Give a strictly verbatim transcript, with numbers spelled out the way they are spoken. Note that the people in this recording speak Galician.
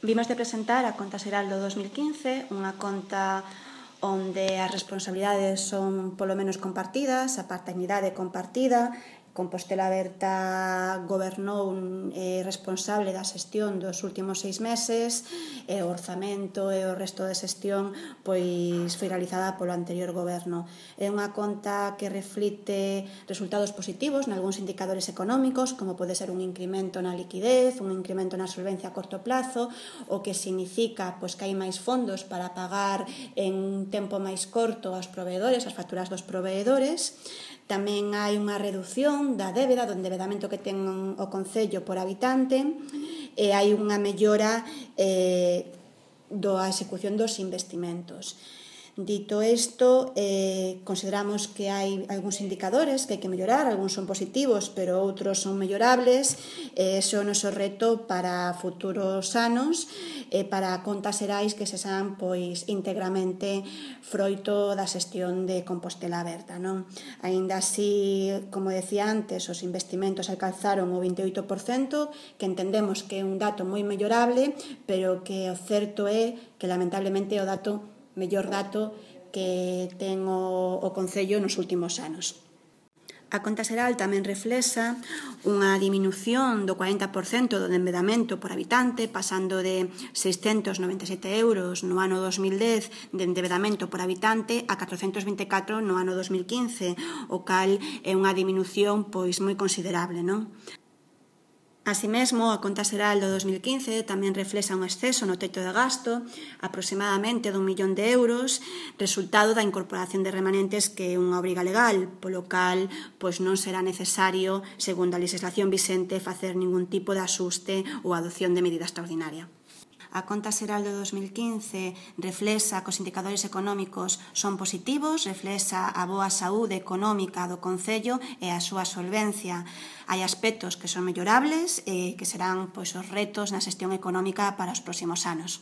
Vimos de presentar a conta xeral do dos mil quince, unha conta onde as responsabilidades son polo menos compartidas, a paternidade compartida. Compostela Aberta gobernou eh, responsable da xestión dos últimos seis meses e o orzamento e o resto de xestión pois foi realizada polo anterior goberno. É unha conta que reflite resultados positivos nalgúns indicadores económicos, como pode ser un incremento na liquidez, un incremento na solvencia a corto plazo, o que significa pois, que hai máis fondos para pagar en tempo máis corto aos proveedores, as facturas dos proveedores. Tamén hai unha redución da débeda, do endebedamento que ten o Concello por habitante, e hai unha mellora eh, da execución dos investimentos. Dito isto, eh, consideramos que hai algúns indicadores que hai que mellorar, algúns son positivos, pero outros son mellorables. Eh, ese é o noso reto para futuros anos, e para contas xerais que se san pois, íntegramente froito da xestión de Compostela Aberta. Non? Aínda así, como decía antes, os investimentos alcanzaron o vinte e oito por cento, que entendemos que é un dato moi mellorable, pero que o certo é que lamentablemente é o dato mellor dato que ten o, o Concello nos últimos anos. A conta xeral tamén reflexa unha diminución do cuarenta por cento do endebedamento por habitante, pasando de seiscentos noventa e sete euros no ano dos mil dez de endebedamento por habitante a catrocentos vinte e catro no ano dos mil quince, o cal é unha diminución pois moi considerable, non? Así mesmo, a conta xeral do dos mil quince tamén reflexa un exceso no teito de gasto, aproximadamente dun millón de euros, resultado da incorporación de remanentes que é unha obriga legal, polo cal pois non será necesario, segundo a legislación vixente, facer ningún tipo de axuste ou adopción de medida extraordinaria. A conta xeral do dos mil quince reflexa que os indicadores económicos son positivos, reflexa a boa saúde económica do Concello e a súa solvencia. Hai aspectos que son mellorables e que serán pois, os retos na xestión económica para os próximos anos.